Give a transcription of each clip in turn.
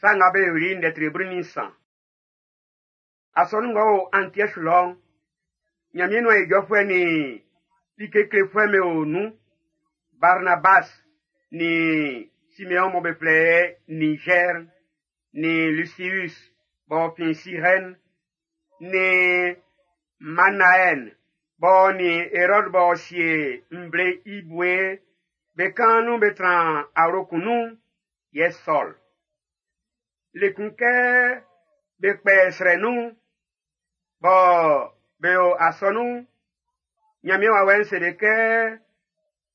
Sa Nga Be Yoli'n ndɛ tre 13. Asɔnun ng'ɔ o Antiɔsu lɔ'n, Ɲanmiɛn nuan ijɔfuɛ nin like klefuɛ'm be o nun. Barnabas nin Simeɔn mɔ be flɛ i Nigɛr'n, nin Lusius b'ɔ fin Sirɛn, nin Manaɛn b'ɔ nin Erɔd b'ɔ sie nvle i bue be kaan nun be tran awlo kun nun'n, yɛ Sɔl. Le kun kɛ be kpɛ srɛ nun'n, bɔ be o asɔnun'n, Ɲanmiɛn wawɛ'n se be kɛ,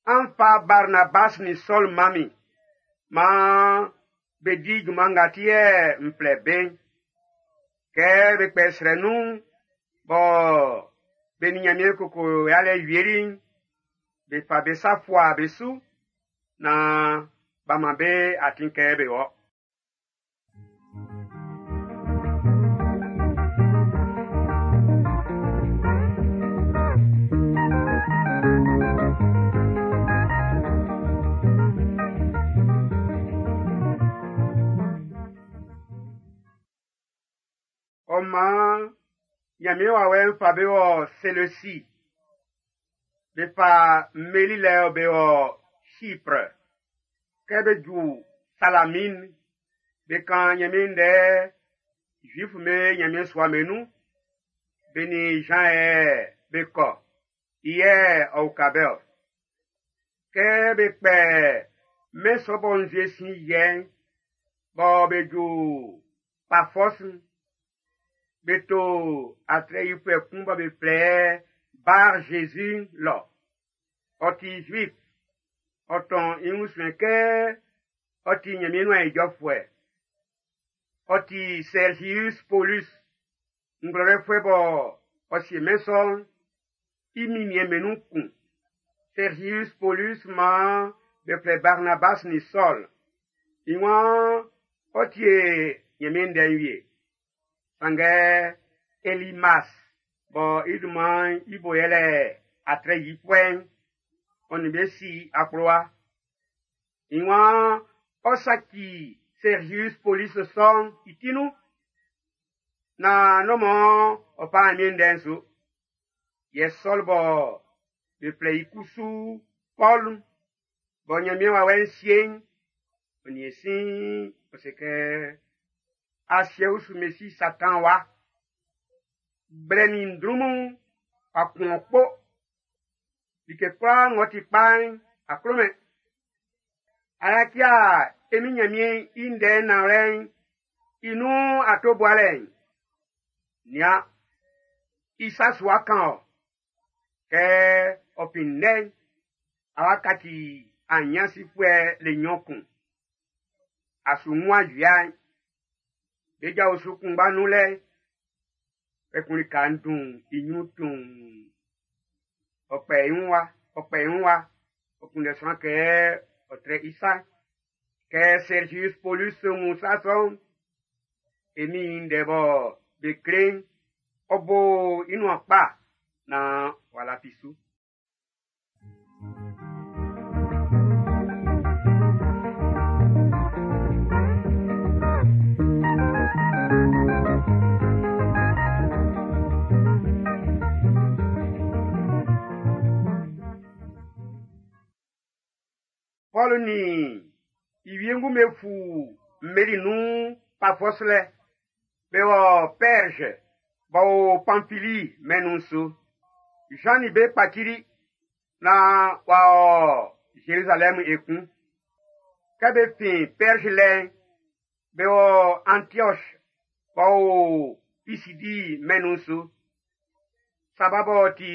an fa Barnabas nin Sɔl man min, maan be di junman nga ti yɛ n flɛ be'n. Kɛ be kpɛ srɛ nun'n, bɔ be nin Ɲanmiɛn koko yalɛ wieli'n, be fa be sa fua be su naan b'a man be atin kɛ be wɔ. Ɔ maan Ɲanmiɛn wawɛ'n fa be wɔ Seleusi. Be fa mmeli lɛ be wɔ Chypre. Kɛ be ju Salamine, be kan Ɲanmiɛn ndɛ Zuif'm be Ɲanmiɛn sua'm be nun. Be nin Jean yɛ be kɔ. I yɛ ɔ uka be-ɔ. Kɛ be kpɛ mɛn sɔ bɔ nzue sin yɛ'n, bɔ be ju Pafɔs'n, be to atrɛ yifuɛ kun bɔ be flɛ Bar Jésus lɔ. Ɔ ti Zuif. Ɔ tɔn i wun suɛn kɛ ɔ ti Ɲanmiɛn nuan ijɔfuɛ. Ɔ ti Sergius Paulus, ngwlɛlɛfuɛ bɔ ɔ sie mɛn sɔ'n i minniɛn'm be nun kun. Sergius Paulus maan be flɛ Barnabas nin Sɔl. I waan ɔ tie Ɲanmiɛn ndɛ'n wie. Sanngɛ Elimas bɔ i dunman'n i bo yɛlɛ atrɛ yifuɛ'n, ɔ nin be si akplowa. I waan ɔ saci Sergius Paulus sɔ'n i ti nun, naan n'o mɔ ɔ fa Ɲanmiɛn ndɛ'n su. Yɛ Sɔl bɔ be flɛ i kusu Pɔlu'n, bɔ Ɲanmiɛn wawɛ'n sie'n, ɔ nin e sin ɔ se kɛ asiɛ usu Mesi Satan wa. Gblɛ nin ndrunmun a kun ɔ kpo. Like kwlaa ng'ɔ ti kpa'n, a klomɛn. Ayakia e min Ɲanmiɛn i ndɛ'n nanwlɛ'n i nun ato bualɛ'n. Nian, i sa su wa kan ɔ. Kɛ ɔ fin nnɛ'n, a wa kaci anyansifuɛ le nnyɔn kun. A su wun ajua'n. Be ja osu kunngba nun lɛ. Kpɛkun lika'n dun i ɲrun tuun. Ɔ kpɛ i wun wa, ɔ kpɛ i wun wa. Ɔ kunndɛ sran kɛ ɔ trɛ i sa. Kɛ Sergius Paulus wun sa sɔ'n, e min ndɛ bɔ be kle'n, ɔ bo i nuan kpa naan w'a lafi su. Pɔlu nin i wiengu'm be fu mmeli nun Pafɔs lɛ. Be wɔ Pɛrge b'ɔ o Pamfili mɛn'n nun su. Jean nin be kpacili naan w'a ɔ Zerizalɛmu ekun. Kɛ be fin Pɛrge lɛ'n, be wɔ Antioche b'ɔ o Pisidi mɛn'n nun su. Saba b'ɔ ti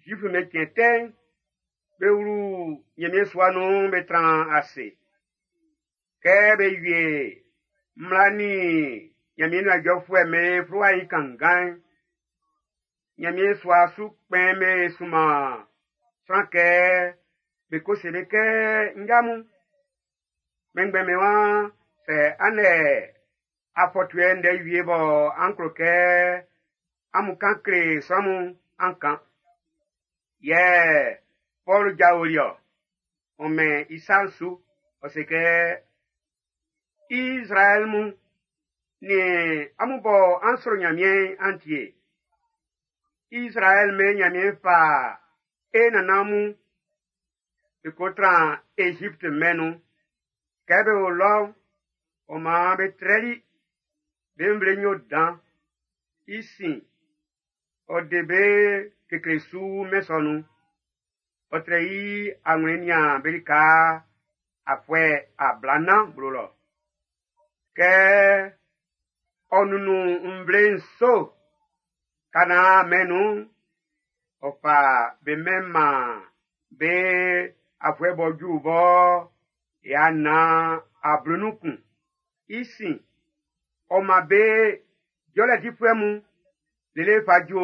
Zuif'm be cɛn tɛ'n, be wlu Ɲanmiɛn sua nun be tran ase. Kɛ be wie mmla nin Ɲanmiɛn nuan ijɔfuɛ'm be fluwa'n i kanngan'n, Ɲanmiɛn sua su kpɛn'm be sunman sran kɛ be ko se be kɛ nja mun. Kpɛnngbɛn'm be waan sɛ an lɛ afɔtuɛ ndɛ wie bɔ an klo kɛ amun kan kle sran mun an kan. Yɛ Pɔlu jaoli ɔ, ɔ mɛn i sa'n su, ɔ se kɛ Izraɛl mun, nin amun bɔ an sro Nyanmiɛn'n an tie. Izraɛl mɛn Nyanmiɛn fa e nannan mun be ko tran Egypte mɛn'n nun. Kɛ be o lɔ'n, ɔ maan be trɛli be nvle nyo dan. I sin, ɔ de be kekle su mɛn sɔ nun. Ɔ trɛ i anwlɛn nian be lika afuɛ ablanan blo lɔ. Kɛ ɔ nunnun nvle nso Kanaan mɛn'n nun'n, ɔ fa be mɛn'n man be afuɛ b'ɔ ju bɔ 411. I sin, ɔ man be jɔlɛ difuɛ mun lele fa ju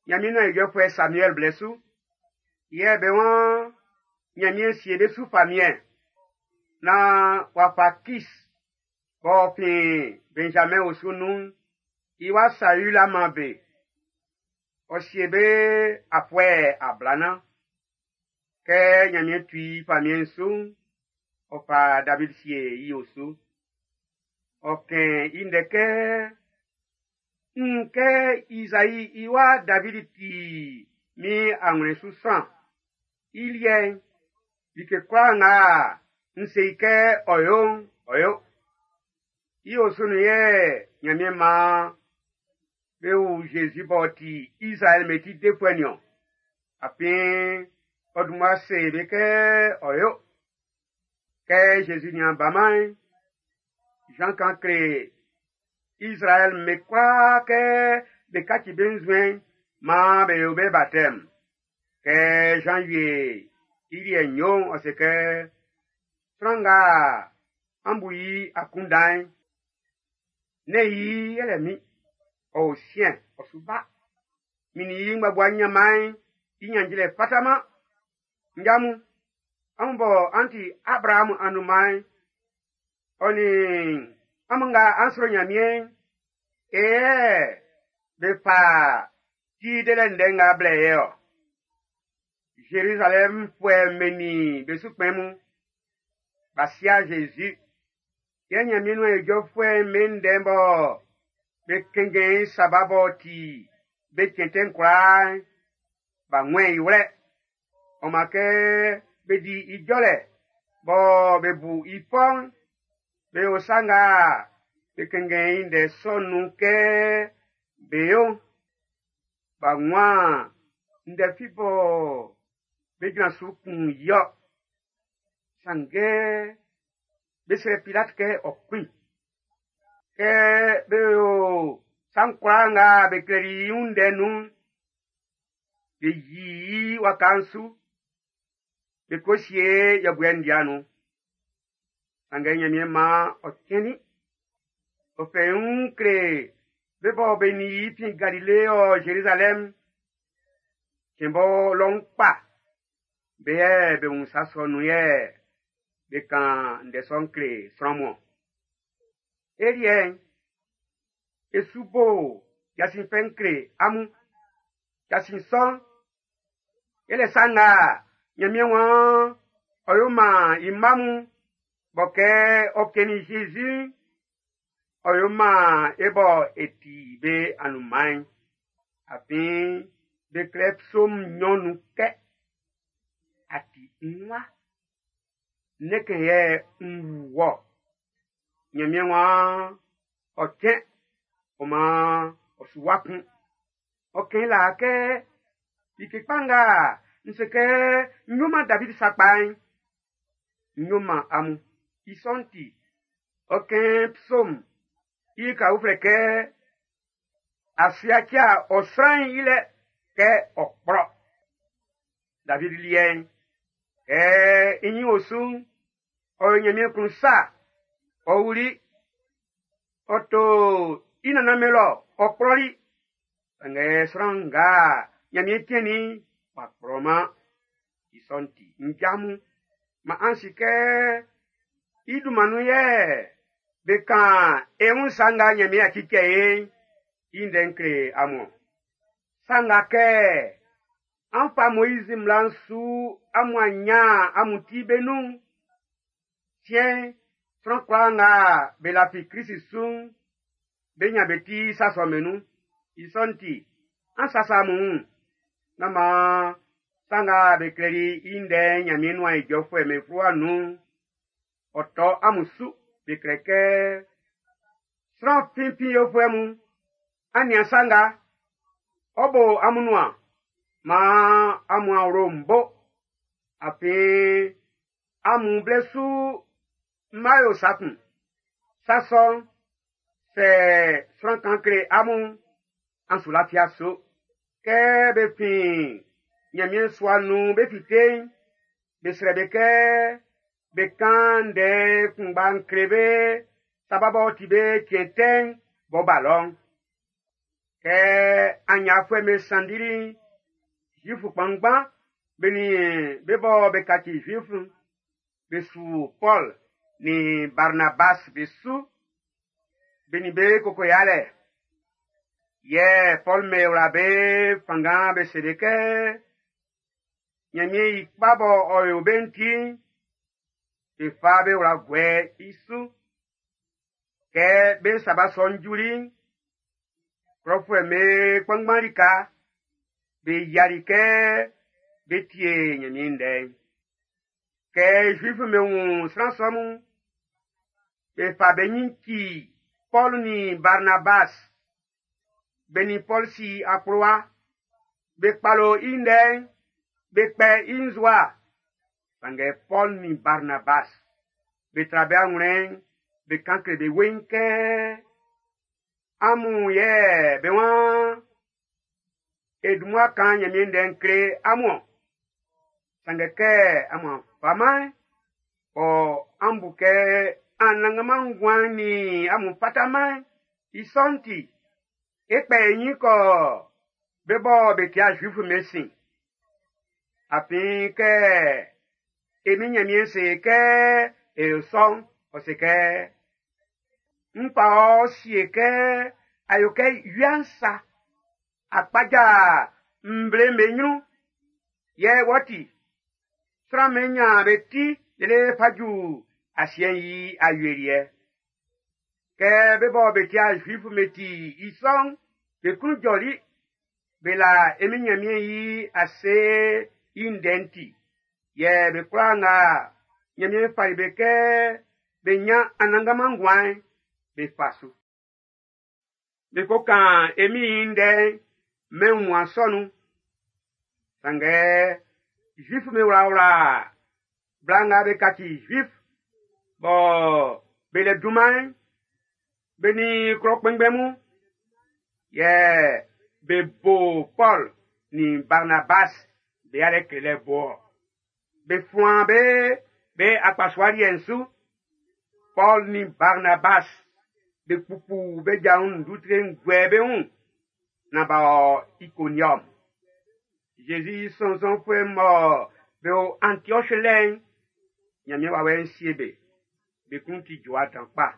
Nyanmiɛn nuan ijɔfuɛ Samuɛl blɛ su. Yɛ be waan Nyanmiɛn sie be su famiɛn naan w'a fa Kis b'ɔ fin Benjamin osu nun'n, i wa Saül a man be. Ɔ sie be afuɛ ablanan. Kɛ Nyanmiɛn tu i famiɛn'n su'n, ɔ fa David sie i osu. Ɔ kɛn i ndɛ kɛ, n wun kɛ Izai i wa David ti min anwlɛn su sran. I liɛ'n, like kwlaa nga n se i kɛ ɔ yo'n, ɔ yo. I osu nun yɛ Nyanmiɛn maan be wu Zezi b'ɔ ti Izraɛl mɛn ti defuɛ nin-ɔn. Afin ɔ dun mmua se be kɛ ɔ yo. Kɛ Zezi nian baman'n, Jean kan kle Izraɛl mɛn kwlaa kɛ be kaci be nzuɛn'n maan be yo be baptême. Kɛ Jean wie i liɛ'n yo'n, ɔ se kɛ, sran nga an bu i akunndan'n, nɛ́n i yɛlɛ min, ɔ o siɛn, ɔ su ba. Min nin i ngbabua nyanman'n i nyanjilɛ fataman. Nja mun, amun bɔ an ti Abraham anunman'n, ɔ nin amun nga an sro Nyanmiɛn'n, e yɛ be fa ti delɛ ndɛ nga blɛ ye ɔ. Zerizalɛmfuɛ'm be nin be su kpɛn mun, b'a sia Zezi. Yɛ Nyanmiɛn nuan ijɔfuɛ'm be ndɛ'n bɔ be kɛnngɛn i Saba b'ɔ ti be cɛn tɛ'n kwlaa'n, b'a wɛn i wlɛ. Ɔ man kɛ be di i jɔlɛ bɔ be bu i fɔ'n, be yo sa nga be kɛnngɛn i ndɛ sɔ'n nun kɛ be yo'n. B'a wun ndɛ fi bɔ be jran su kun i-ɔ. Sanngɛ be srɛ Pilat kɛ ɔ kun i. Kɛ be yo sa'n kwlaa nga be klɛli i wun ndɛ nun'n, be yi i waka'n su, be ko sie yɛbuɛ ndia nun. Sanngɛ Nyanmiɛn maan ɔ cɛnnin. Ɔ fɛ i wun kle be bɔ be nin i fin Galile ɔ Zerizalɛm, cɛn bɔ lɔun kpa, be yɛ be wun sa sɔ nun yɛ be kan ndɛ sɔ'n kle sran mun. E liɛ'n, e su bo jasin fɛ'n kle amun. Jasin sɔ'n, yɛlɛ sa nga Nyanmiɛn waan ɔ yo man i mma mun bɔ kɛ ɔ kɛnnin Jésus, ɔ yo man e bɔ e ti be anunman'n. Afin be klɛ psaume nnyɔn nun kɛ, a ti n wa, ne kɛ yɛ n wu wɔ. Nyanmiɛn waan ɔ cɛn, ɔ maan ɔ su wa kun. Ɔ kɛn la kɛ like kpa nga n se kɛ n yo man David sakpa'n, n yo man amun. I sɔ'n ti, ɔ kɛn psaume i ka uflɛ kɛ a su yaci ɔ sran'n i lɛ kɛ ɔ kplɔ. David liɛ'n, kɛ i nyin o su'n, ɔ yo Nyanmiɛn klun sa, ɔ wuli, ɔ to i nannan mɛn lɔ, ɔ kplɔli. Sanngɛ sran nga Nyanmiɛn cɛnnin w'a kplɔman. I sɔ'n ti, nja mun, man an si kɛ i dunman nun yɛ be kan e wun sa nga Nyanmiɛn a cicɛ e'n, i ndɛ'n kle amun. Sa nga kɛ an fa Moizi mmla'n su amun a nyan amun ti be nun'n, siɛn'n, Sran kwlaa nga be lafi Krist su'n, be nyan be ti sa sɔ'm be nun. I sɔ'n ti, an sasa amun wun. Nán maan sa nga be klɛli i ndɛ'n Nyanmiɛn nuan ijɔfuɛ'm be fluwa nun'n, ɔ tɔ amun su. Be klɛ kɛ, sran finfin yofuɛ mun, an nian sa nga, ɔ bo amun nuan, maan amun awlo'n bo. Afin amun blɛ su mma yo sa kun. Sa sɔ'n, sɛ sran kan kle amun, an su lafia su. Kɛ be fin Nyanmiɛn sua nun be fite'n, be srɛ be kɛ be kan ndɛ kunngba'n kle be saba b'ɔ ti be cɛn tɛ'n b'ɔ ba lɔ'n. Kɛ anyafuɛ'm be sanndili'n, Zuifu kpanngban be nin be bɔ be kaci Zuifu'n, be su Pɔl nin Barnabas be su. Be nin be koko yalɛ. Yɛ Pɔl me wla be fanngan be se be kɛ, Nyanmiɛn i kpa bɔ ɔ yo be'n ti'n, be fa be wla guɛ i su. Kɛ be saba sɔ'n juli'n, klɔfuɛ'm be kpanngban lika, be yiali kɛ be tie Nyanmiɛn ndɛ'n. Kɛ Zuifu'm be wun sran sɔ mun, be fa be nyin ci Pɔl nin Barnabas. Be nin Pɔl si akplowa, be kpalo i ndɛ'n, be kpɛ i nzua. Sanngɛ Pɔl nin Barnabas, be tra be anwlɛn'n, be kan kle be weiin kɛ, amun yɛ be waan e dun mmua kan Nyanmiɛn ndɛ'n kle amun-ɔn. Sanngɛ kɛ amun faman, ɔ an bu kɛ Anannganman nguan'n nin amun fataman, i sɔ'n ti, e kpɛ e nyin kɔ be bɔ be tia Zuifu'm be sin. Afin kɛ e min Nyanmiɛn se kɛ e yo sɔ'n, ɔ se kɛ, n fa ɔ sie kɛ a yo kɛ wia'n sa, a kpaja nvle'm be nyrun, yɛ wɔ ti, sran'm be nyan be ti lele fa ju asiɛ'n i awieliɛ. Kɛ be bɔ be tia Zuifu'm be ti i sɔ'n, be klun jɔli, be la e min Nyanmiɛn i ase i ndɛ'n ti. Yɛ be kwlaa nga Nyanmiɛn fali be kɛ be nyan Anannganman nguan'n, be fa su. Be ko kan e Min'n i ndɛ'n mɛn wunmuan sɔ nun. Sanngɛ Zuifu'm be wlawla bla nga be kaci Zuif bɔ be le dunman'n, be nin klɔ kpɛnngbɛn mun, yɛ be bo Pɔl nin Barnabas be yalɛ klelɛ bo-ɔ. Be fuan be be akpasua liɛ'n su. Pɔl nin Barnabas be kpukpu be ja wun ndutre'n guɛ be wun nan b'a ɔ Ikoniɔm. Zezi sɔnnzɔnfuɛ mɔ be o Antioche lɛ'n, Nyanmiɛn wawɛ'n sie be. Be klun ti jɔwa dan kpa.